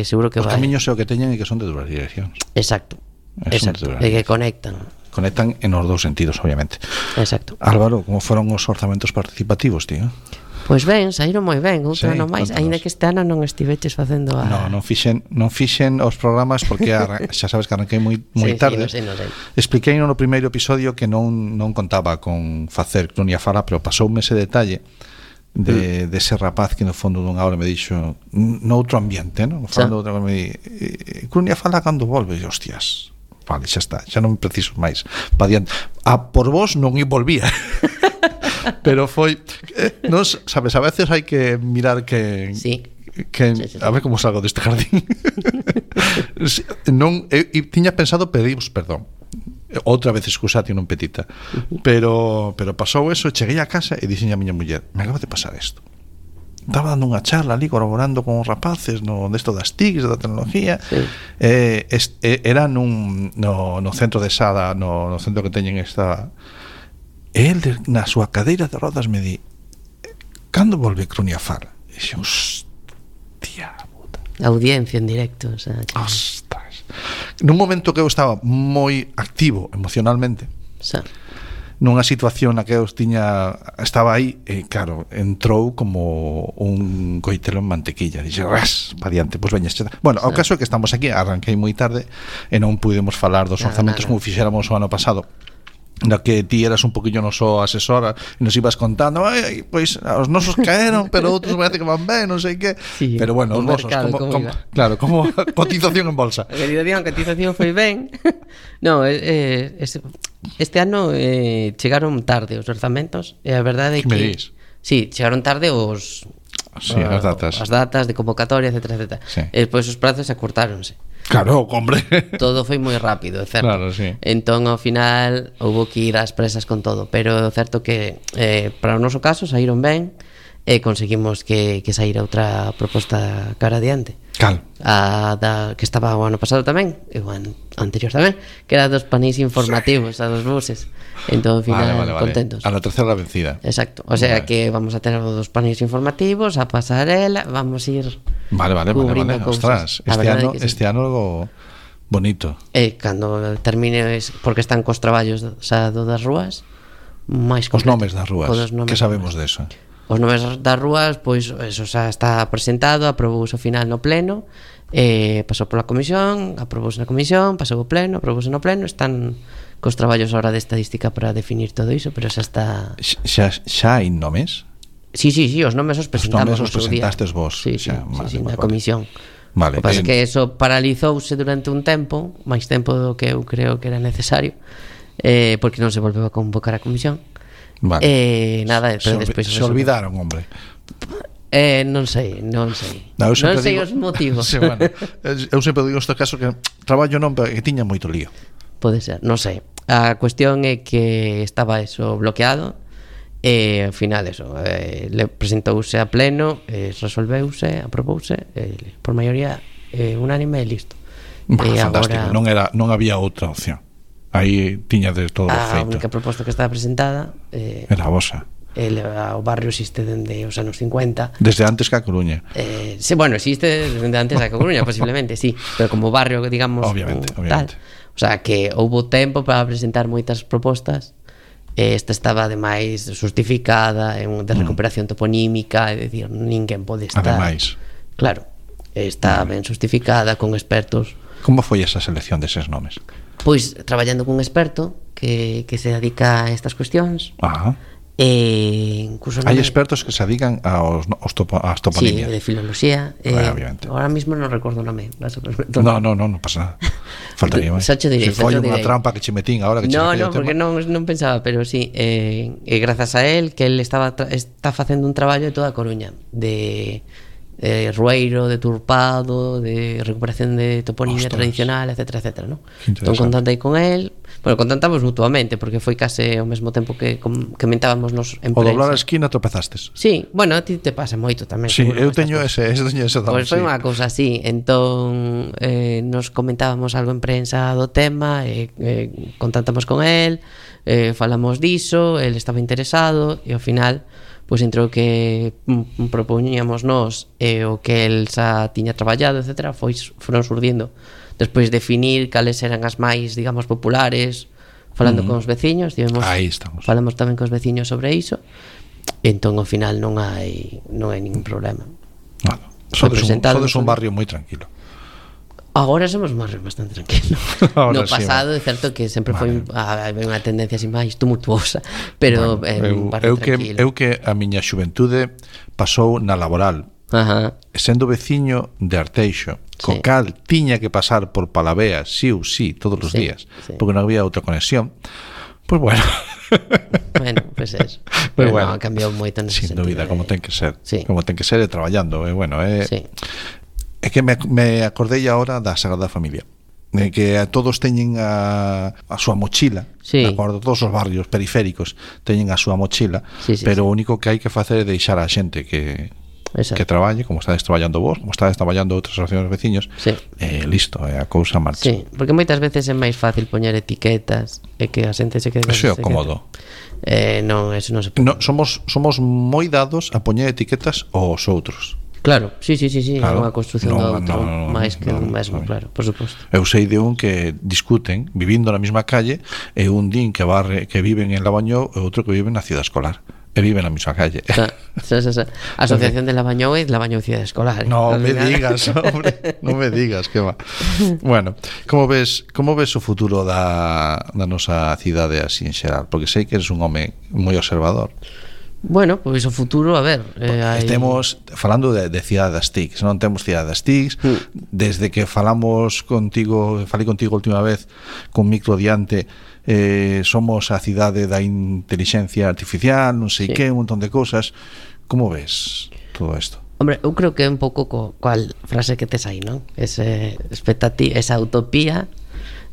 Seguro que os camiños é o que teñen e que son de dúas direccións. Exacto. E que conectan en os dous sentidos, obviamente. Exacto. Álvaro, como foron os orzamentos participativos, tío? Pois ben, saíron moi ben, outro ano máis, aínda que este ano non estiveches facendo non fixen os programas porque xa sabes que arranquei moi tarde. Sí, non sei. Expliquei no primeiro episodio que non contaba con facer Crunia Fala, pero pasoume ese detalle de ese rapaz que no fondo dunha hora me dixo noutro ambiente, non? Falando outra me di, Crunia Fala cando volve, e hostias, vale, xa está, xa non preciso máis pa diante. Por vos non volvía. Pero foi nos, sabes, a veces hai que mirar que a ver como salgo deste jardín. Non, tiña pensado pediros perdón outra vez, excusate non petita, pero pasou eso, cheguei a casa e dixen a miña muller, me acaba de pasar isto, estaba dando unha charla ali colaborando con os rapaces desto das TICs, da tecnología, era no centro de Sada, no centro que teñen esta, e el na súa cadeira de rodas me di, cando volve Crunia Fala? E dixen, hostia puta, audiencia en directo, o sea, ostras. Nun momento que eu estaba moi activo emocionalmente, nunha situación na que eu estaba aí, e claro, entrou como un coitelo en mantequilla, dixe, ras, pa diante, pois veña, bueno, o caso é que estamos aquí, arranquei moi tarde e non pudemos falar dos orzamentos como fixéramos o ano pasado, na que ti eras un poquinho noso asesora e nos ibas contando, pois os nosos caeron, pero outros parece que van ben, non sei que, pero bueno, os nosos como cotización en bolsa. A cotización foi ben. No, este ano chegaron tarde os orzamentos, e a verdade é que me dis? Sí, chegaron tarde os Sí, as datas. As datas de convocatoria, etcétera, etcétera. Sí. E despois os prazos acortáronse. Claro, hombre. Todo foi moi rápido, é certo. Claro, sí. Entón, ao final, houve que ir ás presas con todo. Pero é certo que, para o noso caso, saíron ben e conseguimos que saíra outra proposta cara adiante. Cal? Que estaba o ano pasado tamén, e o ano anterior tamén, que era dos panéis informativos, a dos buses. Entón, ao final, vale. contentos. A la tercera vencida. Exacto, o sea Vale. que vamos a tener dos panéis informativos, a pasarela, vamos a ir Vale. cubrindo cousas. Ostras, A verdade que sí. este ano algo bonito. E cando termine, porque están cos traballos das rúas, máis Os completo. nomes das rúas. Os nomes Que das sabemos rúas. de eso? Os nomes das rúas, pois eso xa está presentado, aprobouse ao final no pleno, pasou pola comisión, aprobouse na comisión, pasou ao pleno, aprobouse no pleno, están cos traballos ahora de estadística para definir todo iso, pero xa está. Xa hai nomes? Sí, os nomes os presentamos. nomes os no seu día. presentastes vos, Sí, xa, vale, na comisión. Vale. O que pasa é que eso paralizouse durante un tempo, máis tempo do que eu creo que era necesario, porque non se volveu a convocar a comisión. Vale. Nada, pero despois se olvidaron, hombre. Non sei. Non sei os motivos. Sí, bueno, eu sempre digo neste caso que traballo non, pero que tiña moito lío. Pode ser, non sei. A cuestión é que estaba eso bloqueado e ao final eso, le presentouse a pleno, resolveuse, aprobouse, por maioría unánime e listo. Fantástico, agora, non había outra opción. Aí tiña de todo a feito. única proposta que estaba presentada era a vosa. O barrio existe dende os anos 50. Desde antes que a Coruña. Sí, bueno, existe desde antes a Coruña, posiblemente, sí, pero como barrio, digamos, obviamente. Tal. O sea, que houbo tempo para presentar moitas propostas. Esta estaba ademais justificada de recuperación toponímica, é dicir, ninguén pode estar. Ademais. Claro, está ben justificada con expertos. Como foi esa selección deses nomes? Pois traballando cun experto que se dedica a estas cuestións. Ajá. Incluso hai expertos que se dedican ás toponimias. Sí, de filoloxía. Obviamente. Ahora mismo non recordo o nome. Non pasa nada. Faltaría máis. Foi unha trampa que che metín agora que che No, porque non pensaba, pero sí, grazas a él que él está facendo un traballo de toda a Coruña, de rueiro, de turpado, de recuperación de toponimia tradicional, etcétera, etcétera, ¿no? Entón contactei con él. Bueno, contactamos mutuamente porque foi case ao mesmo tempo que comentábamos nos en O prensa. doblar a esquina tropezastes. Sí, bueno, a ti te pasa moito tamén. Sí, eu teño ese Pois foi unha cousa así. Entón nos comentábamos algo en prensa do tema, contactamos con él, falamos diso, él estaba interesado e ao final pois entre o que propoñíamos nós e o que el xa tiña traballado, etcétera, foron surdindo despois definir cales eran as máis, digamos, populares, falando con os veciños, aí estamos. Falamos tamén cos veciños sobre iso. Entón ao final non hai ningún problema. Bueno, sodes un barrio moi tranquilo. Agora somos un barrio bastante tranquilo. No pasado é certo que sempre foi unha tendencia así máis tumultuosa, pero un barrio tranquilo. Eu que a miña xuventude pasou na laboral. Sendo veciño de Arteixo, co cal tiña que pasar por Palavea sí ou sí todos os días, porque non había outra conexión. Pois bueno. Bueno, pois eso. Pero bueno, cambiou moito nese sentido. Sin dúbida, como ten que ser. Como ten que ser traballando, bueno, É que me acordei agora da Sagrada Familia, que todos teñen a súa mochila, de acordo, todos os barrios periféricos teñen a súa mochila, pero o único que hai que facer é deixar a xente que traballe, como estades traballando vos, como estades traballando outras asociacións veciños, listo, a cousa marcha. Sí, porque moitas veces é máis fácil poñer etiquetas e que a xente se quede. Eso é cómodo. Non, eso non se pode. Somos moi dados a poñer etiquetas aos outros. Claro, sí, claro, unha construción do outro, máis que un mesmo, claro, por suposto. Eu sei de un que discuten vivindo na mesma calle e un din que viven en Lavañou e outro que vive na Cidade Escolar e vive na mesma calle. Asociación de Lavañou e Lavañou Cidade Escolar. Non me digas, hombre, non me digas, que va. Bueno, como ves o futuro da nosa cidade así en xeral? Porque sei que eres un home moi observador. Bueno, pois o futuro, a ver, estemos falando de Cidade das TICs, non temos Cidade das TICs, desde que falei contigo a última vez con micro diante, somos a cidade da inteligencia artificial, non sei que, un montón de cousas. Como ves todo isto? Hombre, eu creo que é un pouco cual frase que tes aí, non? Esa utopía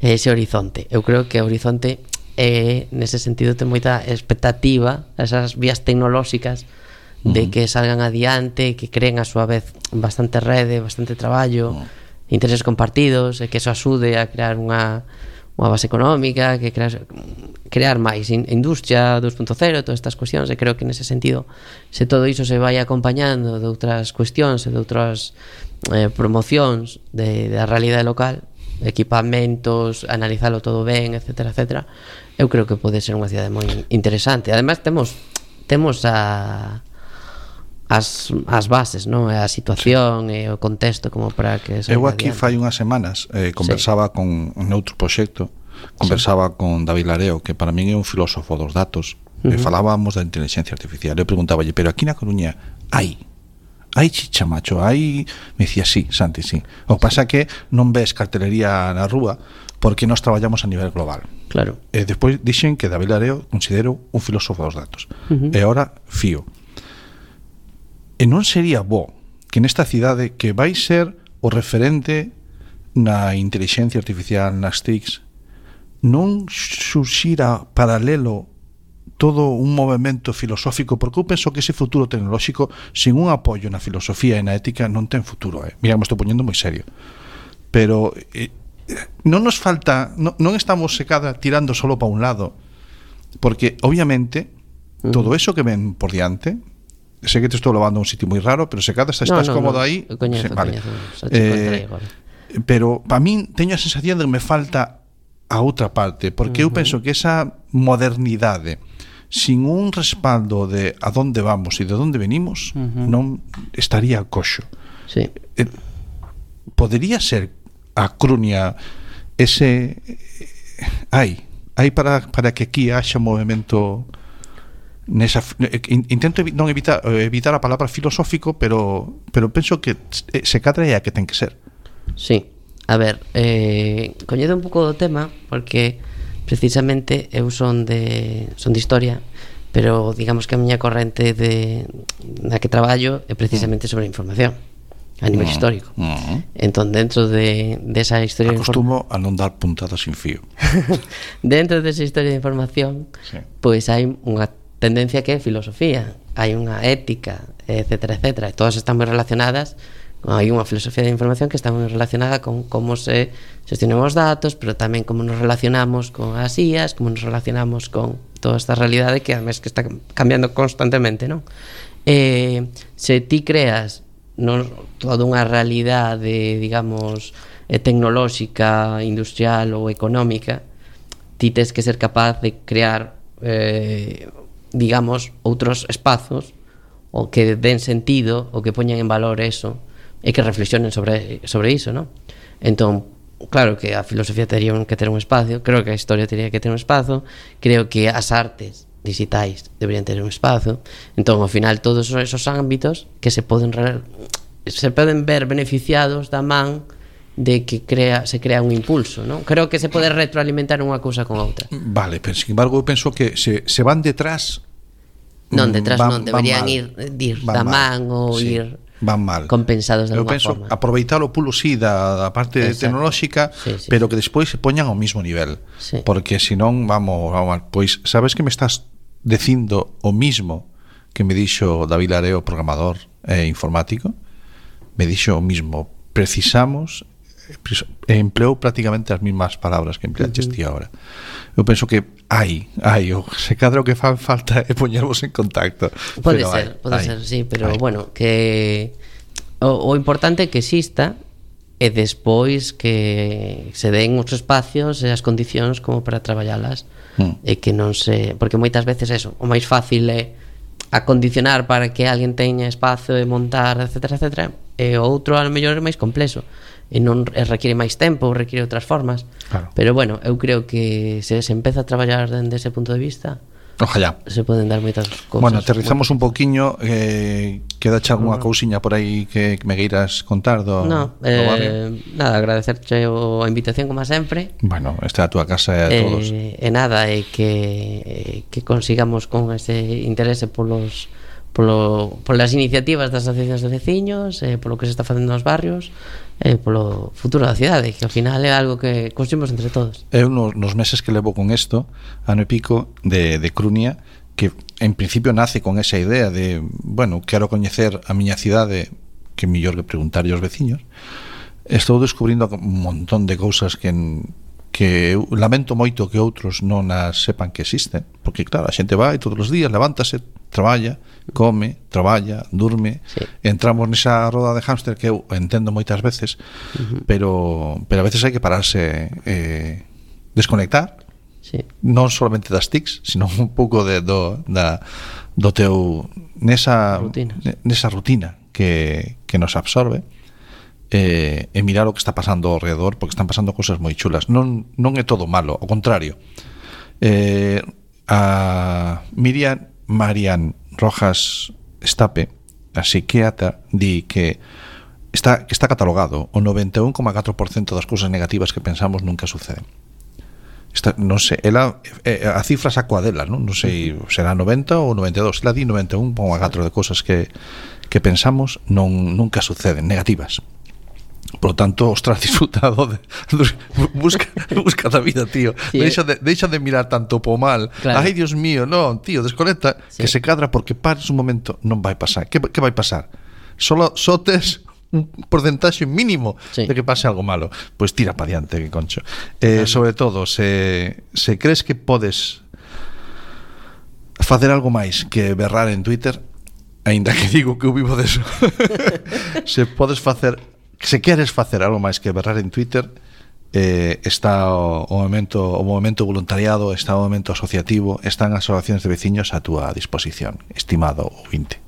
e ese horizonte. Eu creo que o horizonte nese sentido ten moita expectativa, esas vías tecnolóxicas de que salgan adiante, que creen a súa vez bastante rede, bastante traballo, intereses compartidos, e que eso axude a crear unha base económica, que crear máis industria 2.0, todas estas cuestións, e creo que nese sentido, se todo iso se vai acompañando de outras cuestións e de outras promocións da realidade local, equipamentos, analizalo todo ben, etcétera, etcétera, eu creo que pode ser unha cidade moi interesante. Ademais temos as bases, non? A situación e o contexto como para que eu aquí fai unhas semanas conversaba con noutro proxecto, conversaba con David Lareo, que para min é un filósofo dos datos, e falábamos da inteligencia artificial. Eu preguntáballe, pero aquí na Coruña hai chicha, macho, hai... Me dicía, sí, Santi, sí. O que pasa que non ves cartelería na rúa porque nós traballamos a nivel global. Claro. E despois dixen que David Lareo considero un filósofo dos datos. E ahora fío. E non sería bo que nesta cidade, que vai ser o referente na inteligencia artificial, nas TICs, non surxira paralelo todo un movimento filosófico, porque eu penso que ese futuro tecnolóxico sin un apoio na filosofía e na ética non ten futuro. Mira, me estou poñendo moi serio, pero non nos falta, non estamos secada tirando solo para un lado, porque obviamente todo eso que ven por diante, sé que te estou levando a un sitio moi raro, pero se cada estás cómodo aí, coñezo, vale. Pero para min teño a sensación de que me falta a outra parte, porque eu penso que esa modernidade sin un respaldo de a donde vamos e de onde venimos non estaría coxo. Sí. Podería ser a Crunia ese hai para que aquí haxa movimento nesa, intento non evitar a palabra filosófico, pero penso que se cadra é a que ten que ser. Sí. A ver, coñedo un pouco do tema porque precisamente eu son de historia, pero digamos que a miña corrente na que traballo é precisamente sobre a información a nivel histórico. Entón, dentro de esa historia acostumo a non dar puntadas sin fío. Dentro desa historia de información, pois hai unha tendencia que é filosofía, hai unha ética, etcétera, etcétera, e todas están moi relacionadas. Hai unha filosofía de información que está moi relacionada con como se xestionan os datos, pero tamén como nos relacionamos con as IAs, como nos relacionamos con toda esta realidade que además que está cambiando constantemente, non? Se ti creas toda unha realidade, digamos, tecnolóxica, industrial ou económica, ti tes que ser capaz de crear, digamos, outros espazos o que den sentido, o que poñan en valor eso, e que reflexionen sobre iso, non? Entón, claro que a filosofía tería que ter un espacio, creo que a historia tería que ter un espazo, creo que as artes digitais deberían ter un espazo. Entón, ao final, todos esos ámbitos que se poden ver beneficiados da man de que se crea un impulso, non? Creo que se pode retroalimentar unha cousa con outra. Vale, pero sin embargo eu penso que se van detrás non, deberían ir da man ou ir van mal, compensados de alguma forma. Eu penso aproveitar o pulo da parte tecnolóxica, pero que despois se poñan ao mismo nivel, porque senón vamos mal. Pois sabes que me estás dicindo o mismo que me dixo David Lareo, programador informático, me dixo o mismo, precisamos, empleou prácticamente as mismas palabras que empleaches ti agora. Eu penso que se cadra o que fan falta é poñervos en contacto. Pode ser, sí, pero bueno, que o importante é que exista e despois que se den os espacios e as condicións como para traballalas, e que non se... Porque moitas veces eso, o máis fácil é acondicionar para que alguén teña espazo e montar, etcétera, etcétera, e o outro a lo mellor é máis complexo e non requiere máis tempo, requiere outras formas, pero bueno, eu creo que se empeza a traballar dende ese punto de vista, ojalá se poden dar moitas cousas. Bueno, aterrizamos un poquinho, queda algunha cousiña por aí que me queiras contar do barrio? Nada, agradecerche a invitación como sempre. Bueno, esta é a túa casa e a todos. E nada, que consigamos con ese interese polos polas iniciativas das asociacións de veciños, polo que se está facendo nos barrios, polo futuro da cidade, que ao final é algo que construimos entre todos. Eu nos meses que levo con isto, ano e pico de Crunia, que en principio nace con esa idea de, bueno, quero coñecer a miña cidade, que mellor que preguntarlle aos veciños. Estou descubrindo un montón de cousas que eu lamento moito que outros non as sepan que existen, porque claro, a xente vai todos os días, levántase, traballa, come, traballa, durme, sí. Entramos nesa roda de hámster que eu entendo moitas veces, pero a veces hai que pararse, desconectar, sí. Non solamente das tics, sino un pouco do teu nesa rutina que nos absorbe, e mirar o que está pasando ao redor, porque están pasando cousas moi chulas. Non é todo malo, ao contrario. A Marian Rojas Estape, a psiquiatra, di que está catalogado o 91,4% das cousas negativas que pensamos nunca suceden. Non sei, ela a cifra saco a dela, non sei, será 90 ou 92, ela di 91,4 de cousas que pensamos nunca suceden, negativas. Por lo tanto, ostras, disfrutado busca da vida, tío. Sí, deixa de mirar tanto po mal. Claro. Ai, Dios mío, non, tío, desconecta, sí. Que se cadra, porque pares un momento, non vai pasar. Que vai pasar? Só tes un porcentaxe mínimo, sí. De que pase algo malo. Pois tira pa diante, que concho. Sobre todo, se crees que podes facer algo máis que berrar en Twitter, aínda que digo que eu vivo deso, se queres facer algo máis que berrar en Twitter, está o movimento voluntariado, está o movimento asociativo, están as asociacións de veciños a túa disposición, estimado ouvinte.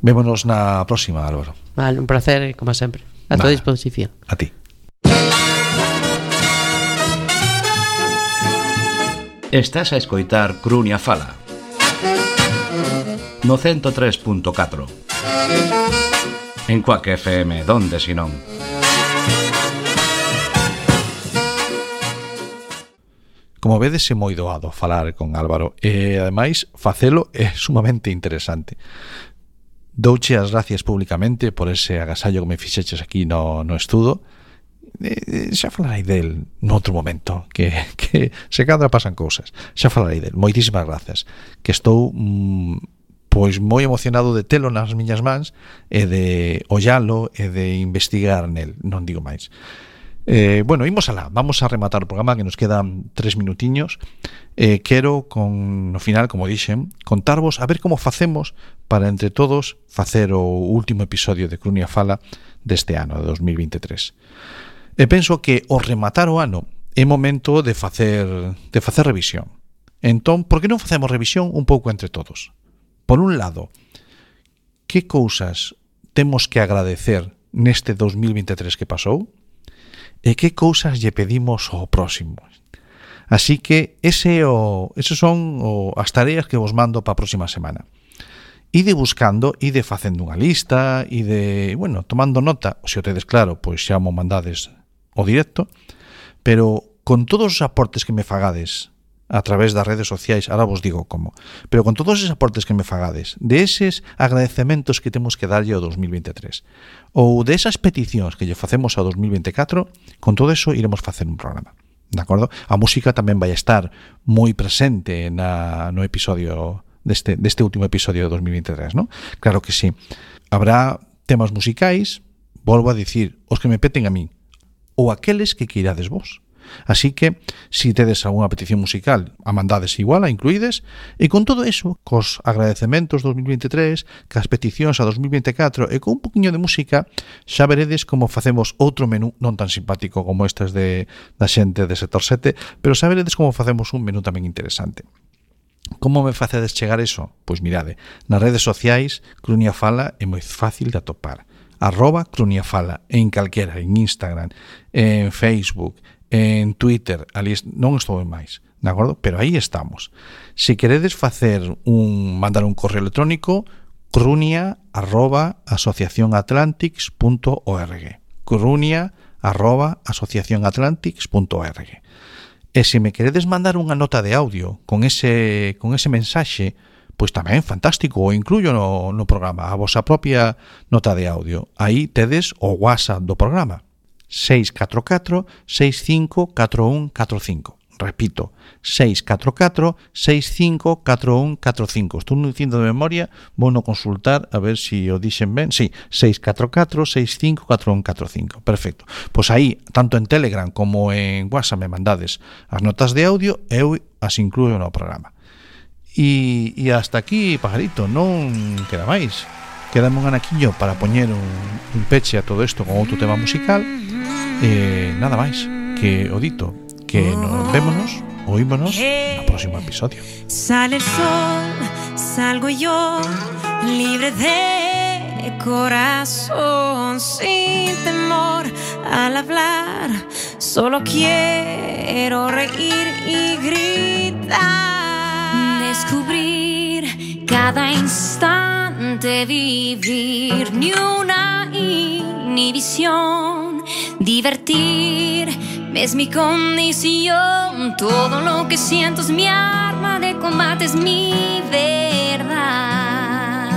Vémonos na próxima, Álvaro. Vale, un placer, como sempre. A tua disposición. A ti. Estás a escoitar Crunia Fala no 103.4 en Quack FM, donde si non. Como vedes, é moi doado falar con Álvaro e ademais facelo é sumamente interesante. Douche as gracias públicamente por ese agasallo que me fixeches aquí no estudo. Xa falarei del noutro momento, que se cadra pasan cousas. Xa falarei del. Moitísimas grazas, que estou pois moi emocionado de telo nas miñas mans e de ollalo e de investigar nel, non digo máis. Bueno, imos alá, vamos a rematar o programa, que nos quedan 3 minutiños. Quero, no final, como dixen, contarvos a ver como facemos para entre todos facer o último episodio de Crunia Fala deste ano, de 2023. E penso que ao rematar o ano é momento de facer revisión. Entón, por que non facemos revisión un pouco entre todos? Por un lado, que cousas temos que agradecer neste 2023 que pasou e que cousas lle pedimos ao próximo. Así que esas son as tareas que vos mando para a próxima semana. Ide buscando, ide facendo unha lista, ide, bueno, tomando nota, se o tedes claro, pois xa mo mandades o directo, pero con todos os aportes que me fagades a través das redes sociais, ahora vos digo como, pero con todos esos aportes que me fagades, de eses agradecementos que temos que darlle ao 2023, ou de esas peticións que lle facemos ao 2024, con todo eso iremos facer un programa, de acordo? A música tamén vai estar moi presente no episodio deste último episodio de 2023, ¿no? Claro que sí. Habrá temas musicais, volvo a dicir, os que me peten a min, ou aqueles que queirades vos. Así que, si tedes algunha petición musical, a mandades igual, a incluídes, e con todo eso, cos agradecementos 2023, cas peticións a 2024 e con un poquinho de música, xa veredes como facemos outro menú non tan simpático como estes da xente de Sector 7, pero xa veredes como facemos un menú tamén interesante. Como me facedes chegar eso? Pois mirade, nas redes sociais, Crunia Fala é moi fácil de atopar. @CruniaFala, en calquera, en Instagram, en Facebook, en Twitter, ali non estou en máis, de acordo? Pero aí estamos. Se queredes mandar un correo electrónico, crunia@asociacionatlantics.org, crunia@asociacionatlantics.org. E se me queredes mandar unha nota de audio con ese mensaxe, pois tamén fantástico, o incluyo no programa, a vosa propia nota de audio. Aí tedes o WhatsApp do programa, 644 65 41 45. Repito, 644 65 41 45. Estou dicindo de memoria, vou no consultar a ver se o dixen ben. Sí, 644 65 41 45. Perfecto. Pois aí, tanto en Telegram como en WhatsApp me mandades as notas de audio, eu as incluo no programa. E hasta aquí, pajarito, non queda máis. Quedame un anaquiño para poñer un peche a todo isto con outro tema musical. Nada máis que o dito, que nos vémonos, oímonos no próximo episodio. Sale el sol, salgo yo, libre de corazón, sin temor al hablar. Solo quiero reír y gritar. Descubrir cada instante, vivir ni una inhibición. Divertirme es mi condición. Todo lo que siento es mi arma de combate, es mi verdad.